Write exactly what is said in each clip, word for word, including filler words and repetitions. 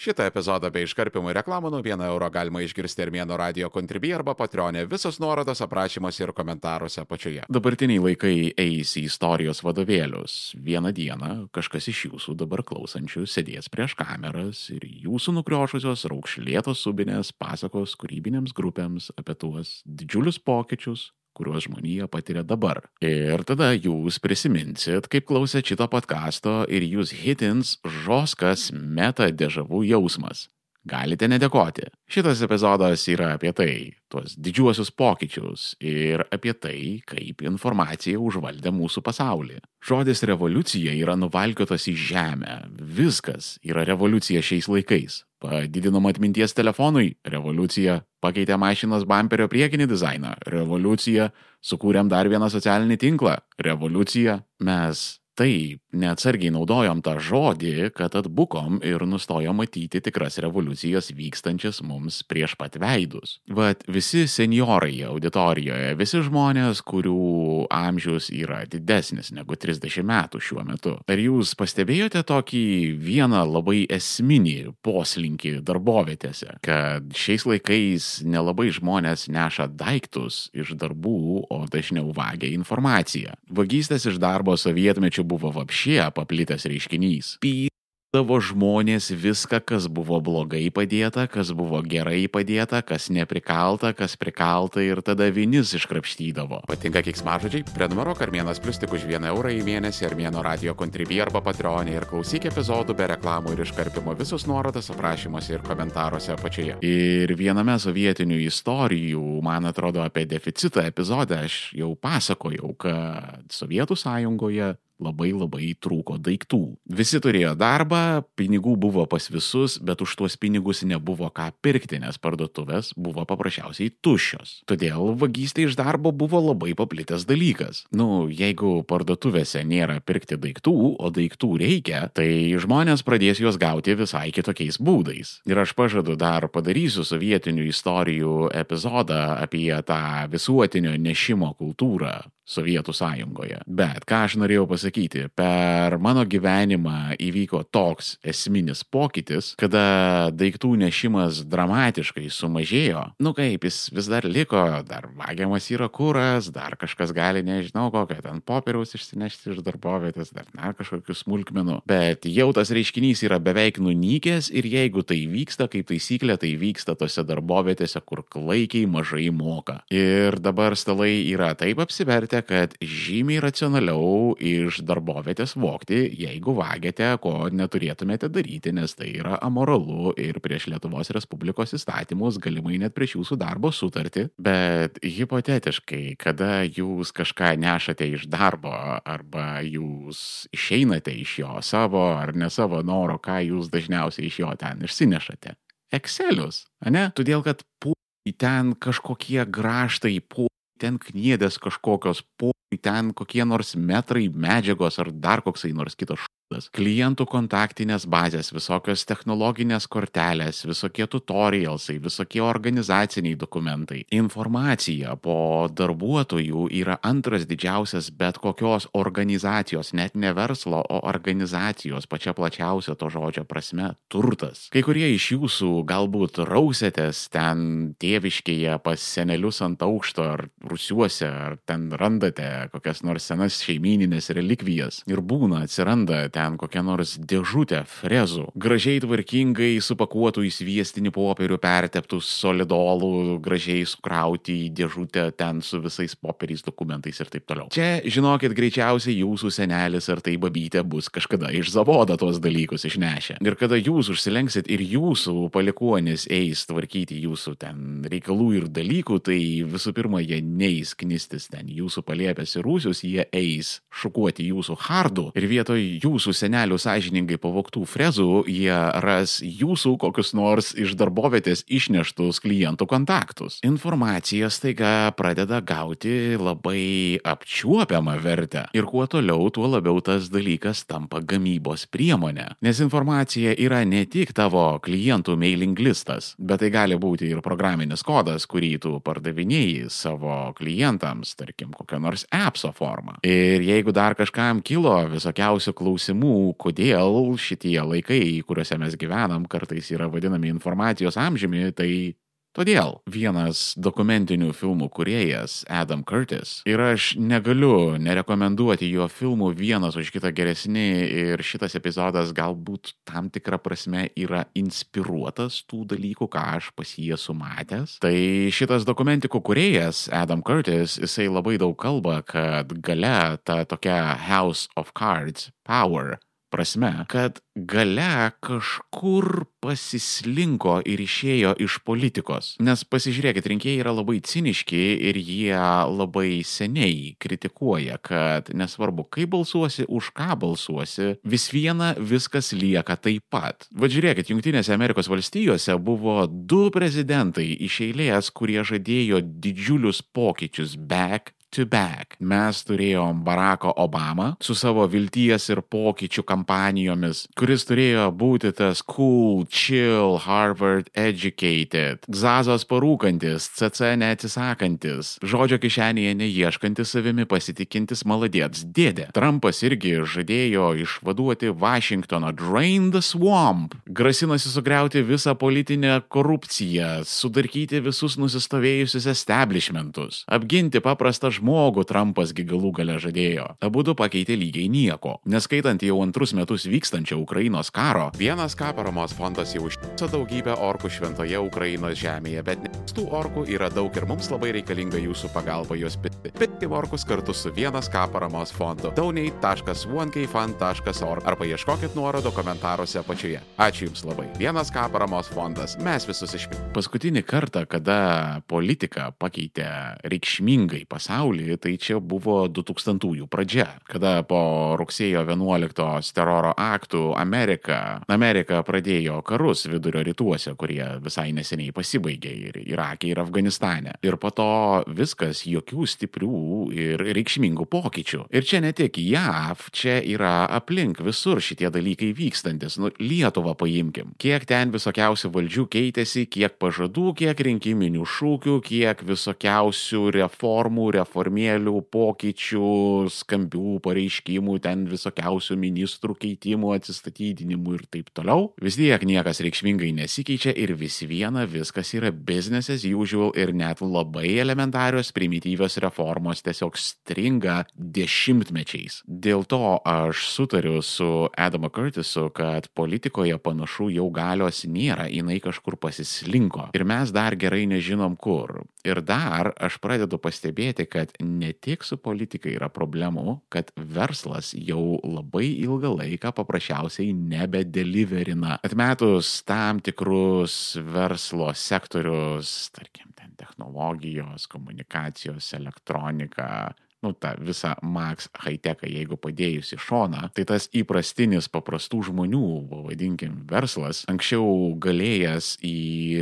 Šitą epizodą bei iškarpimų reklamų nuo vieno euro galima išgirsti Armėno radio Contribui arba Patreonė. Visos nuorodos aprašymuose ir komentaruose apačioje. Dabartiniai laikai eis į istorijos vadovėlius. Vieną dieną kažkas iš jūsų dabar klausančių sėdės prieš kameras ir jūsų nukriošusios raukšlėtos subinės pasakos kūrybinėms grupėms apie tuos didžiulius pokyčius, kuriuos žmonija patiria dabar. Ir tada jūs prisiminsit, kaip klausėt šito podcasto ir jūs hitins žoskas meta dežavų jausmas. Galite nedėkoti. Šitas epizodas yra apie tai, tuos didžiuosius pokyčius ir apie tai, kaip informacija užvaldė mūsų pasaulį. Žodis revoliucija yra nuvalkiotas į žemę. Viskas yra revoliucija šiais laikais. Padidinom atminties telefonui – revoliucija. Pakeitė mašinos bamperio priekinį dizainą – revoliucija. Sukūrėm dar vieną socialinį tinklą – revoliucija. Mes taip neatsargiai naudojom tą žodį, kad atbukom ir nustojom matyti tikras revoliucijas vykstančias mums prieš pat veidus. Vat visi senjorai auditorijoje, visi žmonės, kurių amžius yra didesnis negu trisdešimt metų šiuo metu. Ar jūs pastebėjote tokį vieną labai esminį poslinkį darbovietėse, kad šiais laikais nelabai žmonės neša daiktus iš darbų, o dažniau vagia informaciją. Vagystės iš darbo sovietmečių buvo vapšė paplitęs reiškinys. Pydavo žmonės viską, kas buvo blogai padėta, kas buvo gerai padėta, kas neprikalta, kas prikalta ir tada vinis iškrapštydavo. Patinka keiksmažodžiai? Prenumeruok Armėnas Plius tik už vieną eurą į mėnesį Armėno radio Contribui arba Patreonė ir klausyk epizodų be reklamų ir iškarpimo. Visus nuorodas aprašymuose ir komentaruose apačioje. Ir viename sovietinių istorijų, man atrodo, apie deficitą epizode aš jau pasakojau, kad Sovietų sąjungoje labai labai trūko daiktų. Visi turėjo darbą, pinigų buvo pas visus, bet už tuos pinigus nebuvo ką pirkti, nes parduotuvės buvo paprasčiausiai tuščios. Todėl vagystė iš darbo buvo labai paplitęs dalykas. Nu, jeigu parduotuvėse nėra pirkti daiktų, o daiktų reikia, tai žmonės pradės juos gauti visai kitokiais būdais. Ir aš pažadu dar padarysiu sovietinių istorijų epizodą apie tą visuotinio nešimo kultūrą Sovietų sąjungoje. Bet ką aš norėjau pasakyti, per mano gyvenimą įvyko toks esminis pokytis, kada daiktų nešimas dramatiškai sumažėjo. Nu kaip, jis vis dar liko, dar vagiamas yra kuras, dar kažkas gali, nežinau kokią, ten popieriaus išsinešti iš darbovietės, dar na, kažkokių smulkmenų. Bet jau tas reiškinys yra beveik nunykęs ir jeigu tai vyksta, kaip taisyklė, tai vyksta tose darbovietėse, kur klaikiai mažai moka. Ir dabar stalai yra taip apsivertę, kad žymiai racionaliau iš darbovietės vogti, jeigu vagiate, ko neturėtumėte daryti, nes tai yra amoralu ir prieš Lietuvos Respublikos įstatymus, galimai net prieš jūsų darbo sutartį. Bet hipotetiškai, kada jūs kažką nešate iš darbo arba jūs išeinate iš jo savo ar ne savo noro, ką jūs dažniausiai iš jo ten išsinešate? Excelius, ane? Todėl, kad pu ten kažkokie graštai, pu ten kniedės kažkokios, po ten kokie nors metrai medžiagos ar dar koksai nors kitas šūdas. Klientų kontaktinės bazės, visokios technologinės kortelės, visokie tutorialsai, visokie organizaciniai dokumentai. Informacija po darbuotojų yra antras didžiausias bet kokios organizacijos, net ne verslo, o organizacijos pačia plačiausia to žodžio prasme turtas. Kai kurie iš jūsų galbūt rausėtės ten tėviškėje pas senelius ant aukšto ar rūsiuose, ar ten randate kokias nors senas šeimyninės relikvijas ir būna, atsiranda ten kokią nors dėžutę frezų, gražiai tvarkingai supakuotų į sviestinį popierių perteptų solidolų, gražiai sukrauti į dėžutę ten su visais popieriais, dokumentais ir taip toliau. Čia, žinokit, greičiausiai jūsų senelis ar tai babytė bus kažkada iš zavodo tuos dalykus išnešę. Ir kada jūs užsilenksit ir jūsų palikuonis eis tvarkyti jūsų ten reikalų ir dalykų, tai visų pirma, jie neis knistis ten jūsų palėpės ir rūsius, jie eis šukuoti jūsų hardų ir vietoj jūsų senelių sąžiningai pavogtų frezų, jie ras jūsų kokius nors iš darbovietės išneštus klientų kontaktus. Informacija staiga pradeda gauti labai apčiuopiamą vertę. Ir kuo toliau, tuo labiau tas dalykas tampa gamybos priemonė. Nes informacija yra ne tik tavo klientų mailing listas, bet tai gali būti ir programinis kodas, kurį tu pardavinėjai savo klientams, tarkim, kokią nors appso formą. Ir jeigu dar kažkam kilo visokiausių klausimų klausimų, kodėl šitie laikai, kuriuose mes gyvenam, kartais yra vadinami informacijos amžiumi, tai todėl vienas dokumentinių filmų kūrėjas Adam Curtis ir aš negaliu nerekomenduoti jo filmų vienas už kitą geresni ir šitas epizodas galbūt tam tikrą prasme yra inspiruotas tų dalykų, ką aš pas jį esu matęs. Tai šitas dokumentikų kūrėjas Adam Curtis, jisai labai daug kalba, kad gale ta tokia House of Cards power prasme, kad gale kažkur pasislinko ir išėjo iš politikos. Nes pasižiūrėkit, rinkėjai yra labai ciniški ir jie labai seniai kritikuoja, kad nesvarbu, kaip balsuosi, už ką balsuosi, vis viena viskas lieka taip pat. Va žiūrėkit, Jungtinėse Amerikos valstijose buvo du prezidentai iš eilės, kurie žadėjo didžiulius pokyčius back to back. Mes turėjom Baracką Obamą su savo vilties ir pokyčių kampanijomis, kuris turėjo būti tas cool, chill, Harvard educated, Zazos parūkantis, C C neatsisakantis, žodžio kišenėje neieškantis savimi pasitikintis maladėts dėdė. Trumpas irgi žadėjo išvaduoti Vašingtoną, drain the swamp, grasinasi sugriauti visą politinę korupciją, sudarkyti visus nusistovėjusius establishmentus, apginti paprastą žmogų. Žmogų Trumpas gi galų gale žadėjo. Abudu pakeitė lygiai nieko. Neskaitant jau antrus metus vykstančio Ukrainos karo, vienas K paramos fondas jau užtiso daugybę orkų šventoje Ukrainos žemėje, bet tų orkų yra daug ir mums labai reikalinga jūsų pagalba juos piti. Piti orkus kartu su vienas K paramos fondu. donate taškas one k fund taškas org arba ieškokit nuorodo komentaruose apačioje. Ačiū Jums labai. vienas K paramos fondas. Mes visus išpirkime. Paskutinį kartą, kada politika pakeitė reikšmingai pasaulį, tai čia buvo du tūkstantųjų pradžia, kada po rugsėjo vienuoliktos teroro aktų Amerika, Amerika pradėjo karus vidurio rytuose, kurie visai neseniai pasibaigė ir Irake ir Afganistane. Ir po to viskas jokių stiprių ir reikšmingų pokyčių. Ir čia ne tik J A V, čia yra aplink visur šitie dalykai vykstantis. Nu, Lietuvą paimkim. Kiek ten visokiausių valdžių keitėsi, kiek pažadų, kiek rinkiminių šūkių, kiek visokiausių reformų, reformų formėlių, pokyčių, skambių pareiškimų, ten visokiausių ministrų keitimų, atsistatydinimų ir taip toliau. Vis tiek niekas reikšmingai nesikeičia ir vis viena viskas yra business as usual ir net labai elementarios primityvios reformos tiesiog stringa dešimtmečiais. Dėl to aš sutariu su Adamu Curtisu, kad politikoje panašu jau galios nėra, jinai kažkur pasislinko. Ir mes dar gerai nežinom kur. Ir dar aš pradedu pastebėti, kad ne tik su politika yra problemų, kad verslas jau labai ilgą laiką paprasčiausiai nebedeliverina. Atmetus tam tikrus verslo sektorius, tarkim, ten technologijos, komunikacijos, elektronika, nu, tą visą Max high-techą, jeigu padėjus į šoną, tai tas įprastinis paprastų žmonių, vadinkim, verslas, anksčiau galėjęs į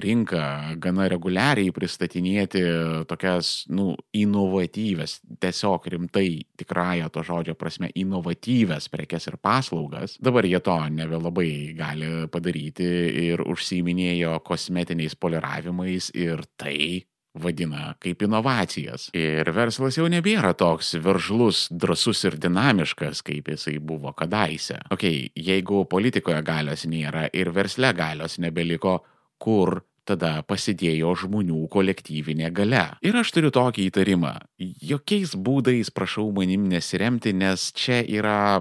rinką gana reguliariai pristatinėti tokias, nu, inovatyves, tiesiog rimtai tikrąją to žodžio prasme, inovatyves prekes ir paslaugas, dabar jie to nebelabai gali padaryti ir užsiiminėjo kosmetiniais poliravimais ir tai vadina kaip inovacijas. Ir verslas jau nebėra toks veržlus, drąsus ir dinamiškas, kaip jisai buvo kadaise. Ok, jeigu politikoje galios nėra ir versle galios nebeliko, kur tada pasidėjo žmonių kolektyvinė galia. Ir aš turiu tokį įtarimą. Jokiais būdais prašau manim nesiremti, nes čia yra...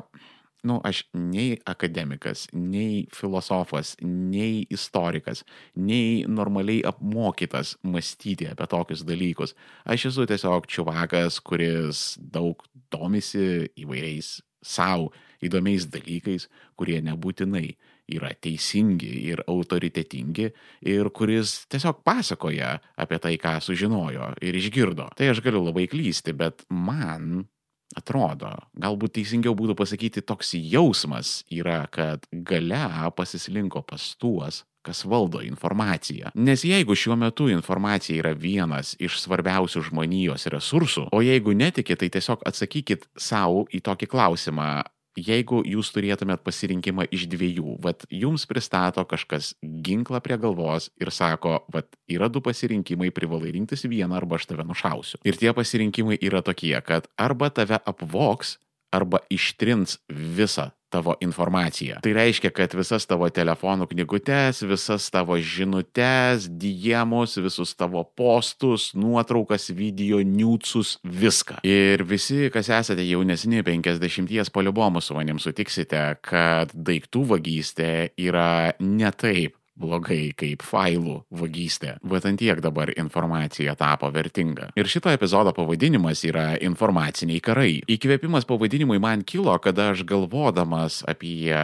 Nu, aš nei akademikas, nei filosofas, nei istorikas, nei normaliai apmokytas mąstyti apie tokius dalykus. Aš esu tiesiog čiuvakas, kuris daug domisi įvairiais savo įdomiais dalykais, kurie nebūtinai yra teisingi ir autoritetingi ir kuris tiesiog pasakoja apie tai, ką sužinojo ir išgirdo. Tai aš galiu labai klysti, bet man... atrodo, galbūt teisingiau būtų pasakyti, toks jausmas yra, kad galia pasislinko pas tuos, kas valdo informaciją. Nes jeigu šiuo metu informacija yra vienas iš svarbiausių žmonijos resursų, o jeigu netikit, tai tiesiog atsakykit savo į tokį klausimą. Jeigu jūs turėtumėt pasirinkimą iš dviejų, vat jums pristato kažkas ginklą prie galvos ir sako, vat yra du pasirinkimai, privalai rinktis vieną arba aš tave nušausiu. Ir tie pasirinkimai yra tokie, kad arba tave apvogs, arba ištrins visą tavo informaciją. Tai reiškia, kad visas tavo telefonų knygutes, visas tavo žinutes, diemus, visus tavo postus, nuotraukas, video, niūtsus, viską. Ir visi, kas esate jaunesni penkiasdešimties poliubomų su manim sutiksite, kad daiktų vagystė yra ne taip blogai kaip failų vagystė. Bet ant tiek dabar informacija tapo vertinga. Ir šito epizodo pavadinimas yra informaciniai karai. Įkvėpimas pavadinimui man kilo, kada aš galvodamas apie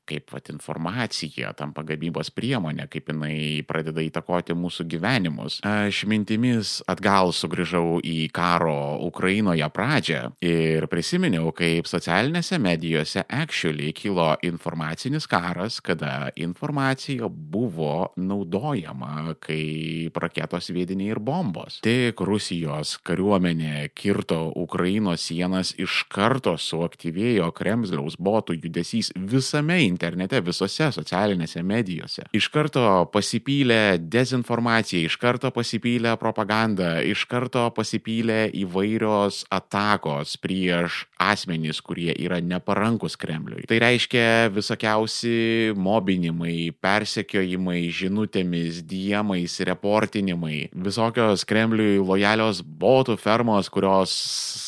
kaip vat, informacija tampa gamybos priemonė, kaip jinai pradeda įtakoti mūsų gyvenimus. Aš mintimis atgal sugrįžau į karo Ukrainoje pradžią ir prisiminiau, kaip socialinėse medijose actually kilo informacinis karas, kada informacija buvo naudojama kaip raketos sviediniai ir bombos. Tik Rusijos kariuomenė kirto Ukrainos sienas, iš karto suaktyvėjo Kremliaus botų judesys visame internete, visose socialinėse medijose. Iš karto pasipylė dezinformacija, iš karto pasipylė propaganda, iš karto pasipylė įvairios atakos prieš asmenys, kurie yra neparankus Kremliui. Tai reiškia visokiausi mobinimai, persekiojimai, žinutėmis, diemais, reportinimai, visokios Kremliui lojalios botų fermos, kurios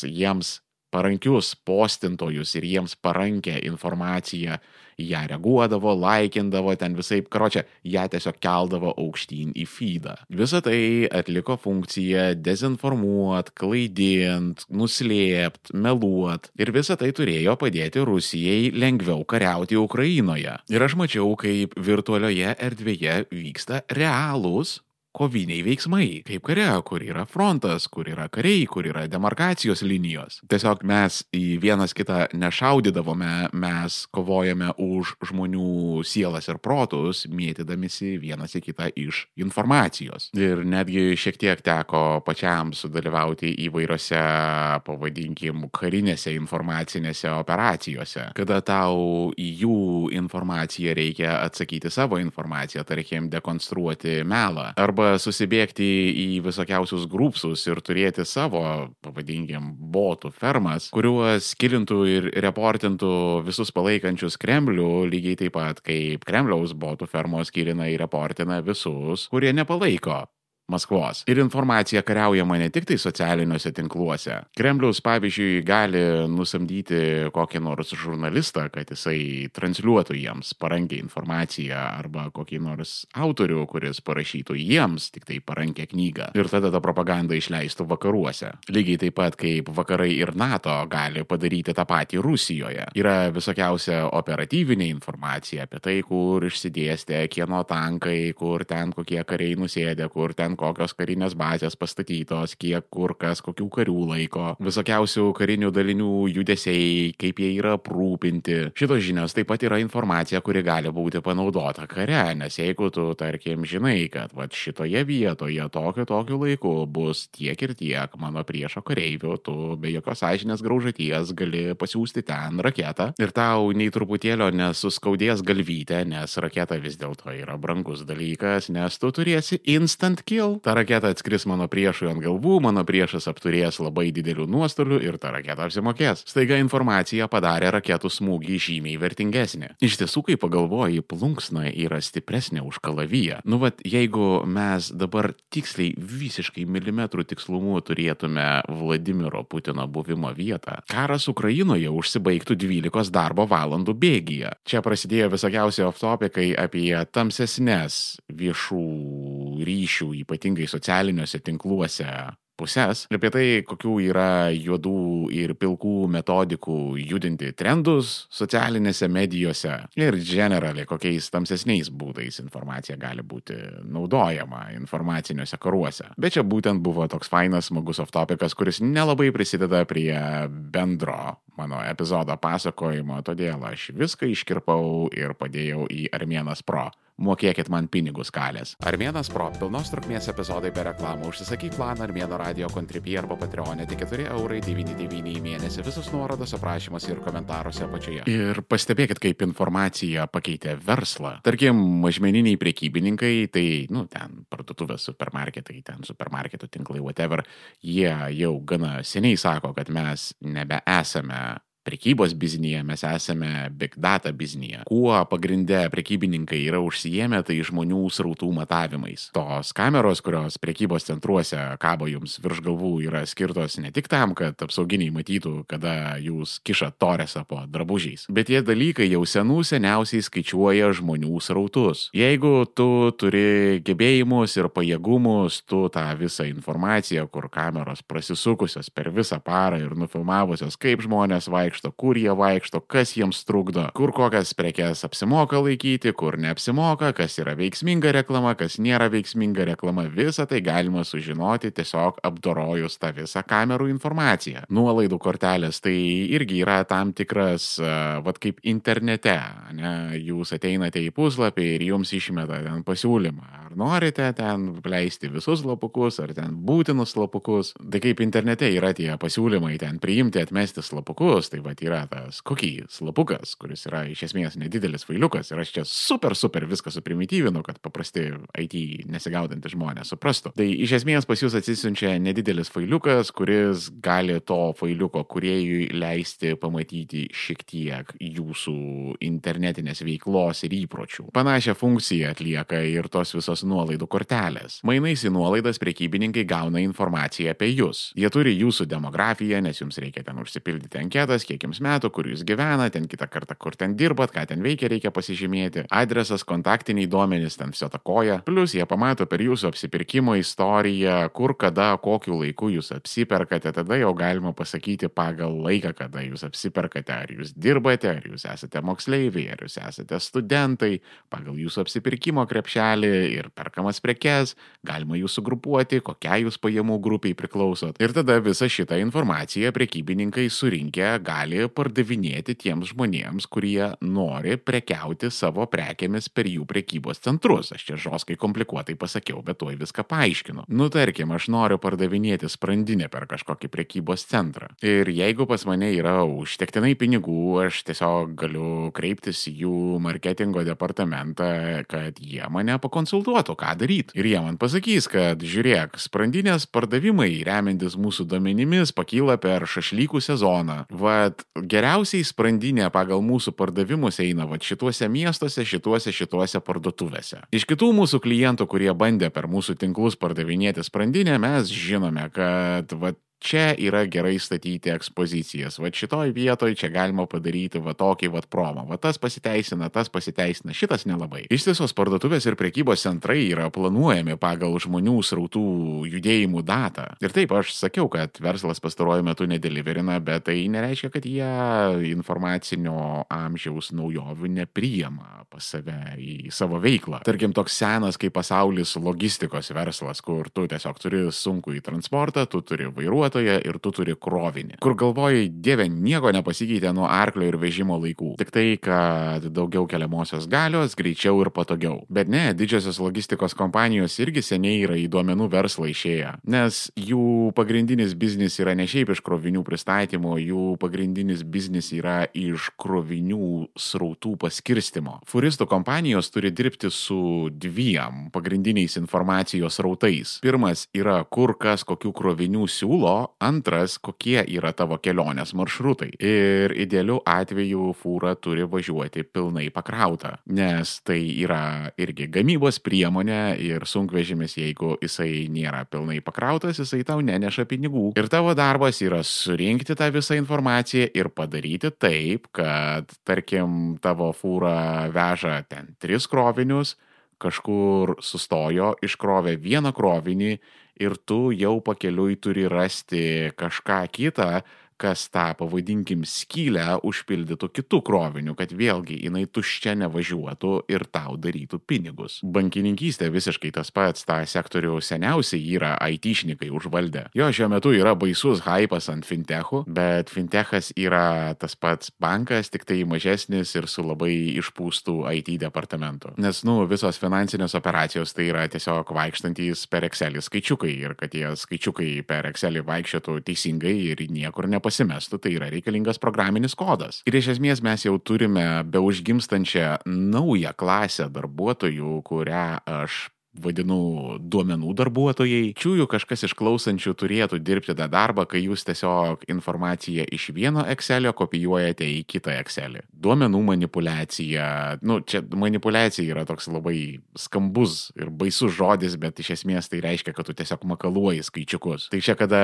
jiems parankius postintojus ir jiems parankę informaciją, ją reaguodavo, laikindavo, ten visaip, karočią, ją tiesiog keldavo aukštyn į feedą. Visą tai atliko funkciją dezinformuot, klaidint, nuslėpt, meluot. Ir visą tai turėjo padėti Rusijai lengviau kariauti Ukrainoje. Ir aš mačiau, kaip virtualioje erdvėje vyksta realūs koviniai veiksmai, kaip kare, kur yra frontas, kur yra kariai, kur yra demarkacijos linijos. Tiesiog mes į vienas kitą nešaudydavome, mes kovojame už žmonių sielas ir protus, mėtydamisi vienas į kitą iš informacijos. Ir netgi šiek tiek teko pačiam sudalyvauti įvairiose, pavadinkim, karinėse informacinėse operacijose, kada tau į jų informaciją reikia atsakyti savo informaciją, tarkim, dekonstruoti melą, arba susibėgti į visokiausius grupsus ir turėti savo, pavadinkim, botų fermas, kuriuos kilintų ir reportintų visus palaikančius Kremlių, lygiai taip pat kaip Kremliaus botų fermos kilina ir reportina visus, kurie nepalaiko Maskvos. Ir informacija kariaujama ne tik tai socialiniuose tinkluose. Kremliaus, pavyzdžiui, gali nusamdyti kokį nors žurnalistą, kad jisai transliuotų jiems parankę informaciją, arba kokį nors autorių, kuris parašytų jiems tik tai parankę knygą. Ir tada ta propaganda išleistų vakaruose. Lygiai taip pat kaip vakarai ir NATO gali padaryti tą patį Rusijoje. Yra visokiausia operatyvinė informacija apie tai, kur išsidėstė kieno tankai, kur ten kokie kariai nusėdė, kur ten kokios karinės bazės pastatytos, kiek kur kas, kokių karių laiko, visokiausių karinių dalinių judesiai, kaip jie yra aprūpinti. Šitos žinios taip pat yra informacija, kuri gali būti panaudota kare, nes jeigu tu, tarkim, žinai, kad vat, šitoje vietoje tokiu tokiu laiku bus tiek ir tiek mano priešo kareivių, tu be jokios sąžinės graužaties gali pasiųsti ten raketą ir tau nei truputėlio nesuskaudės galvytę, nes raketa vis dėlto yra brangus dalykas, nes tu turėsi instant kill. Ta raketa atskris mano priešui ant galvų, mano priešas apturės labai didelių nuostolių ir ta raketa apsimokės. Staiga informacija padarė raketų smūgį žymiai vertingesnį. Iš tiesų, kai pagalvoji, plunksna yra stipresnė už kalaviją. Nu, vat, jeigu mes dabar tiksliai visiškai milimetrų tikslumu turėtume Vladimiro Putino buvimo vietą, karas Ukrainoje užsibaigtų dvylikos darbo valandų bėgyje. Čia prasidėjo visokiausi off-topikai apie tamsesnes viešų ryšių, ypatingai socialiniuose tinkluose pusės, apie tai, kokių yra juodų ir pilkų metodikų judinti trendus socialinėse medijose ir generaliai kokiais tamsesniais būdais informacija gali būti naudojama informaciniuose karuose. Bet čia būtent buvo toks fainas, smagus off-topikas, kuris nelabai prisideda prie bendro mano epizodo pasakojimo, todėl aš viską iškirpau ir padėjau į Armėnas Pro. Mokėkit man pinigus kalės. Armėnas Pro, pilnos trukmės epizodai be reklamų. Užsisakyk planą Armėno radio Contribui arba Patreonė, tik keturi eurai devyniasdešimt devyni į mėnesį. Visus nuorodos aprašymuose ir komentaruose apačioje. Ir pastebėkit, kaip informacija pakeitė verslą. Tarkim, mažmeniniai prekybininkai, tai, nu, ten parduotuvės, supermarketai, ten supermarketų tinklai, whatever, jie jau gana seniai sako, kad mes nebeesame prekybos biznyje, mes esame big data biznyje. Kuo pagrinde prekybininkai yra užsijėmę, tai žmonių srautų matavimais. Tos kameros, kurios prekybos centruose kabo jums virš galvų, yra skirtos ne tik tam, kad apsauginiai matytų, kada jūs kišat toresą po drabužiais, bet tie dalykai jau senų seniausiai skaičiuoja žmonių srautus. Jeigu tu turi gebėjimus ir pajėgumus, tu tą visą informaciją, kur kameros prasisukusios per visą parą ir nufilmavusios, kaip žmonės vaikšto, kur jie vaikšto, kas jiems trukdo, kur kokias prekes apsimoka laikyti, kur neapsimoka, kas yra veiksminga reklama, kas nėra veiksminga reklama, visą tai galima sužinoti tiesiog apdorojus tą visą kamerų informaciją. Nuolaidų kortelės tai irgi yra tam tikras, uh, vat kaip internete, ne? Jūs ateinate į puslapį ir jums išmeta ten pasiūlymą. Ar norite ten leisti visus slapukus, ar ten būtinus slapukus. Tai kaip internete yra tie pasiūlymai ten priimti, atmesti slapukus, tai vat yra tas cookie slapukas, kuris yra iš esmės nedidelis failiukas ir aš čia super, super viską suprimityvinu, kad paprasti I T nesigaudantys žmonės suprastų. Tai iš esmės pas jūs atsisiunčia nedidelis failiukas, kuris gali to failiuko kūrėjui leisti pamatyti šiek tiek jūsų internetinės veiklos ir įpročių. Panašią funkciją atlieka ir tos visos nuolaidų kortelės. Mainais į nuolaidas prekybininkai gauna informaciją apie jūs. Jie turi jūsų demografiją, nes jums reikia ten užsipildyti anketas, kiek jums metų, kur jūs gyvena, ten kitą kartą, kur ten dirbat, ką ten veikia, reikia pasižymėti. Adresas, kontaktiniai duomenys, ten viso takoja. Plus jie pamato per jūsų apsipirkimo istoriją, kur, kada, kokiu laiku jūs apsiperkate, tada jau galima pasakyti pagal laiką, kada jūs apsiperkate, ar jūs dirbate, ar jūs esate moksleiviai, ar jūs esate studentai, pagal jūsų apsipirkimo krepšelį ir perkamas prekes, galima jūs sugrupuoti, kokia jūs pajamų grupiai priklausot. Ir tada visą šitą informaciją prekybininkai surinkę gali pardavinėti tiems žmonėms, kurie nori prekiauti savo prekėmis per jų prekybos centrus. Aš čia žoskai komplikuotai pasakiau, bet tuoj viską paaiškinu. Nu, tarkim, aš noriu pardavinėti sprandinę per kažkokį prekybos centrą. Ir jeigu pas mane yra užtektinai pinigų, aš tiesiog galiu kreiptis į jų marketingo departamentą, kad jie mane pakonsultuotų, ką daryti. Ir jie man pasakys, kad žiūrėk, sprandinės pardavimai, remiantis mūsų duomenimis, pakyla per šašlykų sezoną. Vat geriausiai sprandinė pagal mūsų pardavimus eina vat šituose miestuose, šituose, šituose parduotuvėse. Iš kitų mūsų klientų, kurie bandė per mūsų tinklus pardavinėti sprandinę, mes žinome, kad vat čia yra gerai statyti ekspozicijas. Va šitoj vietoj čia galima padaryti va tokį va promą. Va tas pasiteisina, tas pasiteisina, šitas nelabai. Ištisos parduotuvės ir prekybos centrai yra planuojami pagal žmonių srautų judėjimų datą. Ir taip, aš sakiau, kad verslas pastaruoju metu nedeliverina, bet tai nereiškia, kad jie informacinio amžiaus naujovių nepriima pas save į savo veiklą. Tarkim, toks senas kaip pasaulis logistikos verslas, kur tu tiesiog turi sunkų į transportą, tu turi vairuotoją, ir tu turi krovinį. Kur galvoji, dieve, nieko nepasikeitė nuo arklio ir vežimo laikų. Tik tai, kad daugiau keliamosios galios, greičiau ir patogiau. Bet ne, didžiosios logistikos kompanijos irgi seniai yra į duomenų verslą išėję. Nes jų pagrindinis biznis yra ne šiaip iš krovinių pristatymo, jų pagrindinis biznis yra iš krovinių srautų paskirstimo. Furistų kompanijos turi dirbti su dviem pagrindiniais informacijos srautais. Pirmas yra, kur kas kokių krovinių siūlo, antras, kokie yra tavo kelionės maršrutai. Ir idealiu atveju fūra turi važiuoti pilnai pakrauta, nes tai yra irgi gamybos priemonė ir sunkvežimis, jeigu jisai nėra pilnai pakrautas, jisai tau neneša pinigų. Ir tavo darbas yra surinkti tą visą informaciją ir padaryti taip, kad, tarkim, tavo fūra veža ten tris krovinius, kažkur sustojo, iškrovė vieną krovinį ir tu jau pakeliui turi rasti kažką kitą, kas tą, pavadinkim, skylę užpildytų kitų krovinių, kad vėlgi jinai tuščia nevažiuotų ir tau darytų pinigus. Bankininkystė visiškai tas pats, tą sektorių seniausiai yra aitišnikai užvaldę. Jo, šiuo metu yra baisus hypas ant fintechų, bet fintechas yra tas pats bankas, tik tai mažesnis ir su labai išpūstų I T departamentu. Nes, nu, visos finansinės operacijos tai yra tiesiog vaikštantys per Excelį skaičiukai ir kad tie skaičiukai per Excelį vaikščiotų teisingai ir niekur nepasirinktų pasimestų, tai yra reikalingas programinis kodas. Ir iš esmės mes jau turime beužgimstančią naują klasę darbuotojų, kurią aš vadinu duomenų darbuotojai. Čiūjų kažkas iš klausančių turėtų dirbti tą darbą, kai jūs tiesiog informaciją iš vieno Excelio kopijuojate į kitą Excelį. Duomenų manipuliacija, nu, čia manipuliacija yra toks labai skambus ir baisus žodis, bet iš esmės tai reiškia, kad tu tiesiog makaluoji skaičiukus. Tai čia kada,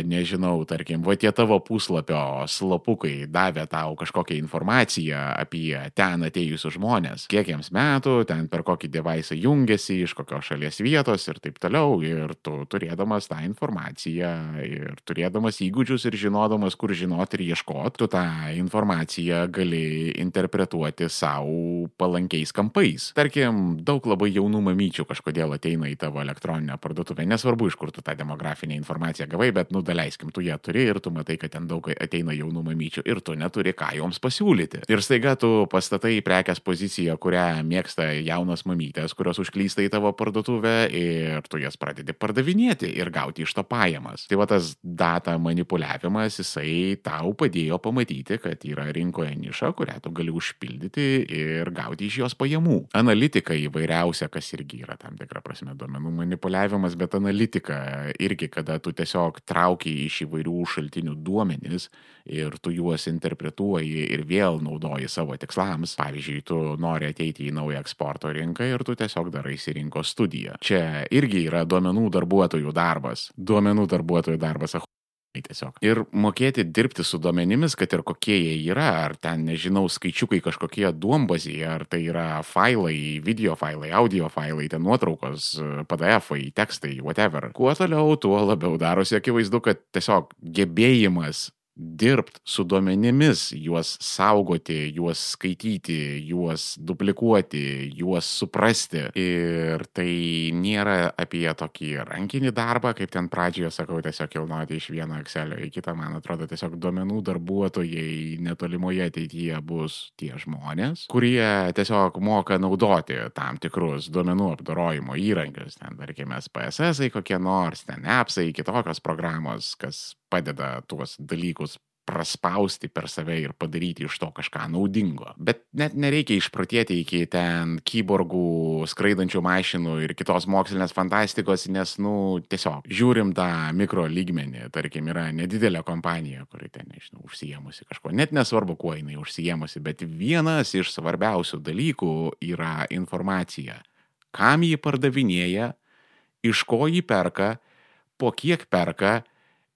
nežinau, tarkim, va tie tavo puslapio slapukai davė tau kažkokią informaciją apie ten atėjusius žmonės, kiek jiems metų, ten per kokį devaisą jungiasi, iš kokios šalies vietos ir taip toliau. Ir tu turėdamas tą informaciją ir turėdamas įgūdžius ir žinodamas, kur žinoti ir ieškoti, tu tą informaciją gali interpretuoti savo palankiais kampais. Tarkim, daug labai jaunų mamyčių kažkodėl ateina į tavo elektroninę parduotuvę. Nesvarbu, iš kur tu tą demografinę informaciją gavai, bet, nu, daleiskim, tu ją turi ir tu matai, kad ten daug ateina jaunų mamyčių ir tu neturi ką joms pasiūlyti. Ir staiga tu pastatai prekės poziciją, kurią mėgsta jaunos mamytės, kurios užklysta į tavo parduotuvę ir tu jas pradedi pardavinėti ir gauti iš to pajamas. Tai va tas data manipuliavimas, jisai tau padėjo pamatyti, kad yra rinkoje niša, kurią tu gali užpildyti ir gauti iš jos pajamų. Analitika įvairiausia, kas irgi yra tam tikra prasme duomenų manipuliavimas, bet analitika irgi, kada tu tiesiog trauki iš įvairių šaltinių duomenis ir tu juos interpretuoji ir vėl naudoji savo tikslams. Pavyzdžiui, tu nori ateiti į naują eksporto rinką ir tu tiesiog daraisi rinkos studiją. Čia irgi yra duomenų darbuotojų darbas. Duomenų darbuotojų darbas. Tiesiog. Ir mokėti dirbti su duomenimis, kad ir kokie jie yra, ar ten, nežinau, skaičiukai kažkokie duombazėje, ar tai yra failai, video failai, audio failai, ten nuotraukos, P D F-ai, tekstai, whatever. Kuo toliau, tuo labiau darosi akivaizdu, kad tiesiog gebėjimas dirbti su duomenimis, juos saugoti, juos skaityti, juos duplikuoti, juos suprasti. Ir tai nėra apie tokį rankinį darbą, kaip ten pradžioje sakau, tiesiog kilnoti iš vieno Excelio į kitą. Man atrodo, tiesiog duomenų darbuotojai netolimoje ateityje bus tie žmonės, kurie tiesiog moka naudoti tam tikrus duomenų apdorojimo įrankius. Ten, tarkime, P S S-ai kokie nors, ten appsai, kitokios programos, kas padeda tuos dalykus praspausti per save ir padaryti iš to kažką naudingo. Bet net nereikia išprotėti iki ten kyborgų, skraidančių mašinų ir kitos mokslinės fantastikos, nes, nu, tiesiog žiūrim tą mikro lygmenį. Tarkim, yra nedidelė kompanija, kuri ten, nežinau, užsijėmusi kažko. Net nesvarbu, kuo jinai užsijėmusi, bet vienas iš svarbiausių dalykų yra informacija. Kam jį pardavinėja, iš ko jį perka, po kiek perka,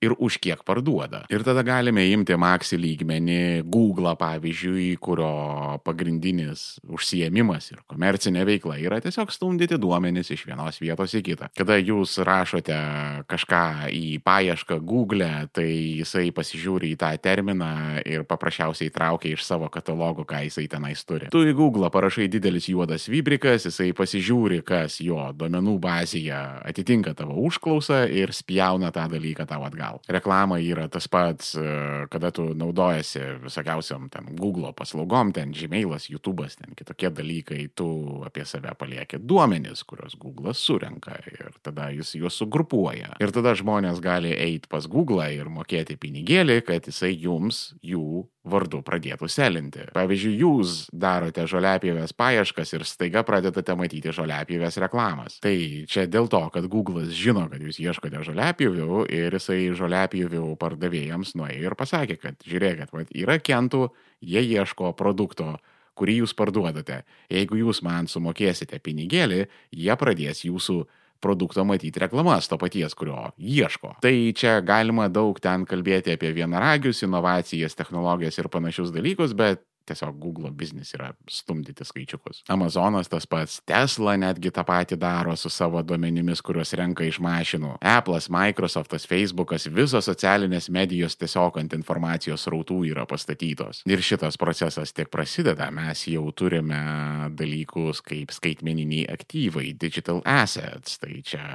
ir už kiek parduoda. Ir tada galime imti maksi lygmenį, Google, pavyzdžiui, kurio pagrindinis užsiėmimas ir komercinė veikla yra tiesiog stumdyti duomenis iš vienos vietos į kitą. Kada jūs rašote kažką į paiešką Google, tai jisai pasižiūri į tą terminą ir paprasčiausiai traukia iš savo katalogo, ką jisai tenais turi. Tu į Google parašai didelis juodas vibrikas, jisai pasižiūri, kas jo duomenų bazėje atitinka tavo užklausą ir spjauna tą dalyką tavo atgal. Reklama yra tas pats, kada tu naudojasi visokiausiam ten Google paslaugom, ten Gmailas, YouTube'as, ten kitokie dalykai, tu apie save palieki duomenis, kurios Google'as surenka ir tada jis juos sugrupuoja. Ir tada žmonės gali eiti pas Google ir mokėti pinigėlį, kad jisai jums jų vardu pradėtų selinti. Pavyzdžiui, jūs darote žoliapjovės paieškas ir staiga pradedate matyti žoliapjovės reklamas. Tai čia dėl to, kad Google'as žino, kad jūs ieškote žoliapjovių ir jisai žoliapjovių pardavėjams nuėjo ir pasakė, kad žiūrėkit, vat, yra kentų, jie ieško produkto, kurį jūs parduodate. Jeigu jūs man sumokėsite pinigėlį, jie pradės jūsų produkto matyti reklamas to paties, kurio ieško. Tai čia galima daug ten kalbėti apie vienaragius, inovacijas, technologijas ir panašius dalykus, bet tiesiog Google biznis yra stumdyti skaičiukus. Amazonas tas pats, Tesla netgi tą patį daro su savo duomenimis, kuriuos renka iš mašinų. Apple'as, Microsoft'as, Facebook'as, visos socialinės medijos tiesiog ant informacijos srautų yra pastatytos. Ir šitas procesas tik prasideda. Mes jau turime dalykus kaip skaitmeniniai aktyvai, digital assets. Tai čia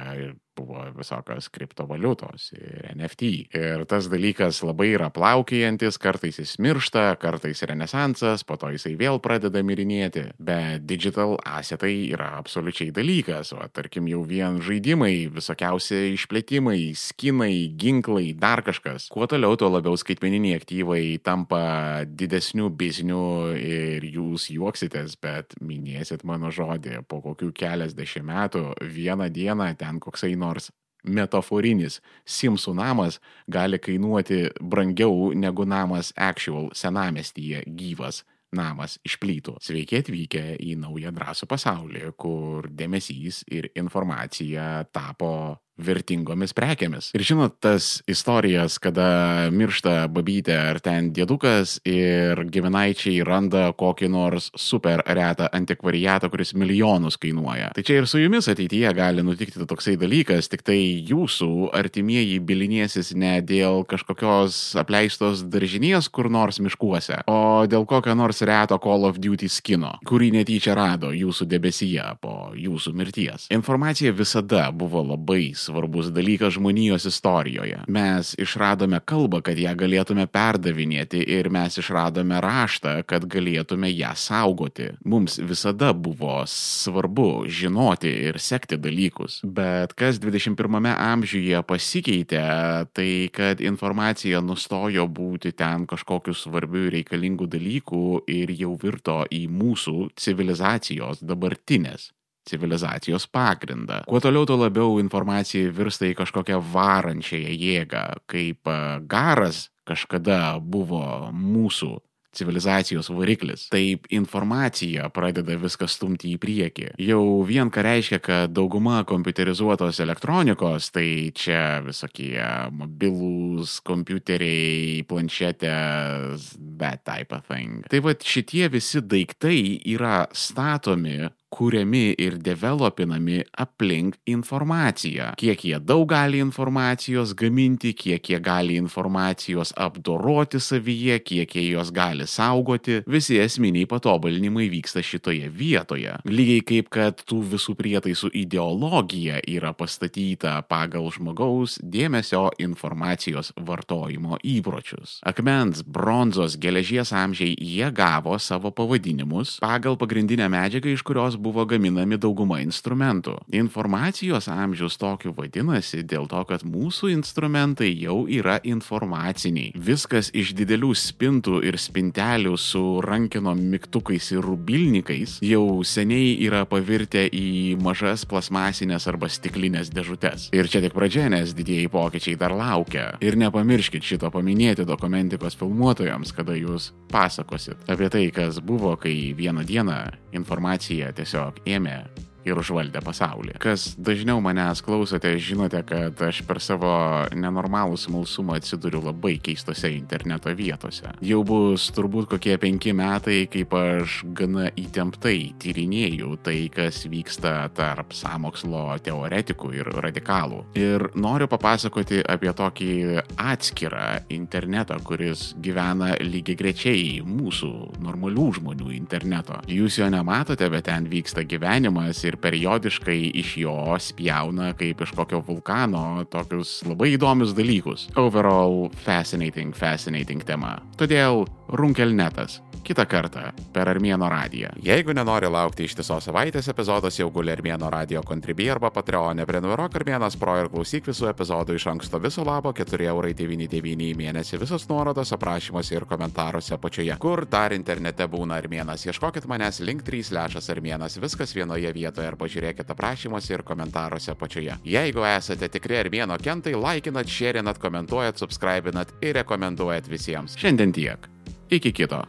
buvo visokios kriptovaliutos ir N F T. Ir tas dalykas labai yra plaukiojantis, kartais jis miršta, kartais renesansas, po to jisai vėl pradeda mirinėti. Bet digital assetai yra absoliučiai dalykas. O tarkim jau vien žaidimai, visokiausi išplėtimai, skinai, ginklai, dar kažkas. Kuo toliau, tuo labiau skaitmeniniai aktyvai tampa didesnių biznių ir jūs juoksitės, bet minėsit mano žodį, po kokių keliasdešimt metų vieną dieną ten koksai nors metaforinis Simsų namas gali kainuoti brangiau negu namas actual senamestyje gyvas namas iš plytų. Sveiki atvykę į naują drąsų pasaulį, kur dėmesys ir informacija tapo vertingomis prekėmis. Ir žinot, tas istorijas, kada miršta babytė ar ten dėdukas ir giminaičiai randa kokį nors super retą antikvariatą, kuris milijonus kainuoja. Tai čia ir su jumis ateityje gali nutikti toksai dalykas, tik tai jūsų artimieji bilinėsis ne dėl kažkokios apleistos daržinės kur nors miškuose, o dėl kokio nors reto Call of Duty skino, kurį netyčia rado jūsų debesyje po jūsų mirties. Informacija visada buvo labai svarbus dalykas žmonijos istorijoje. Mes išradome kalbą, kad ją galėtume perdavinėti ir mes išradome raštą, kad galėtume ją saugoti. Mums visada buvo svarbu žinoti ir sekti dalykus. Bet kas dvidešimt pirmame amžiuje pasikeitė, tai kad informacija nustojo būti ten kažkokių svarbių ir reikalingų dalykų ir jau virto į mūsų civilizacijos dabartinės civilizacijos pagrindą. Kuo toliau, tuo labiau informacija virsta į kažkokią varančiąją jėgą, kaip garas kažkada buvo mūsų civilizacijos variklis. Taip informacija pradeda viską stumti į priekį. Jau vien ką reiškia, kad dauguma kompiuterizuotos elektronikos, tai čia visokie mobilūs kompiuteriai, planšetės, that type of thing. Tai vat šitie visi daiktai yra statomi, kuriami ir developinami aplink informaciją. Kiek jie daug gali informacijos gaminti, kiek jie gali informacijos apdoroti savyje, kiek jie jos gali saugoti, visi esminiai patobulinimai vyksta šitoje vietoje. Lygiai kaip kad tų visų prietaisų ideologija yra pastatyta pagal žmogaus dėmesio informacijos vartojimo įpročius. Akmens, bronzos, geležies amžiai jie gavo savo pavadinimus pagal pagrindinę medžiagą, iš kurios buvo gaminami dauguma instrumentų. Informacijos amžius tokiu vadinasi dėl to, kad mūsų instrumentai jau yra informaciniai. Viskas iš didelių spintų ir spintelių su rankenom mygtukais ir rubilnikais jau seniai yra pavirtę į mažas plasmasinės arba stiklinės dėžutes. Ir čia tik pradžia, nes didieji pokyčiai dar laukia. Ir nepamirškit šito paminėti dokumentikos filmuotojams, kada jūs pasakosit apie tai, kas buvo, kai vieną dieną informacija tiesiog ėmė ir užvaldė pasaulį. Kas dažniau manęs klausote, žinote, kad aš per savo nenormalų smalsumą atsiduriu labai keistose interneto vietose. Jau bus turbūt kokie penki metai, kaip aš gana įtemptai tyrinėju tai, kas vyksta tarp sąmokslo teoretikų ir radikalų. Ir noriu papasakoti apie tokį atskirą internetą, kuris gyvena lygiagrečiai mūsų normalių žmonių interneto. Jūs jo nematote, bet ten vyksta gyvenimas ir periodiškai iš jo spjauna kaip iš kokio vulkano tokius labai įdomius dalykus. Overall, fascinating, fascinating tema. Todėl Runkelnetas. Kitą kartą per Armėno radiją. Jeigu nenori laukti ištisos savaitės, epizodas jau guli Armėno radio Contribui arba Patreone. Prenumeruok Armėnas Pro ir klausyk visų epizodų iš anksto viso labo keturi eurai devyni devyni į mėnesį. Visos nuorodos aprašymuose ir komentaruose apačioje. Kur dar internete būna Armėnas? Ieškokit manęs link trys lešas Armėnas. Viskas vienoje vietoje arba žiūrėkit aprašymuose ir komentaruose apačioje. Jeigu esate tikri Armėno kentai, laikinat, šėrinat, komentuojat, subscribinat ir rekomenduojat visiems. Šiandien tiek. Iki kito.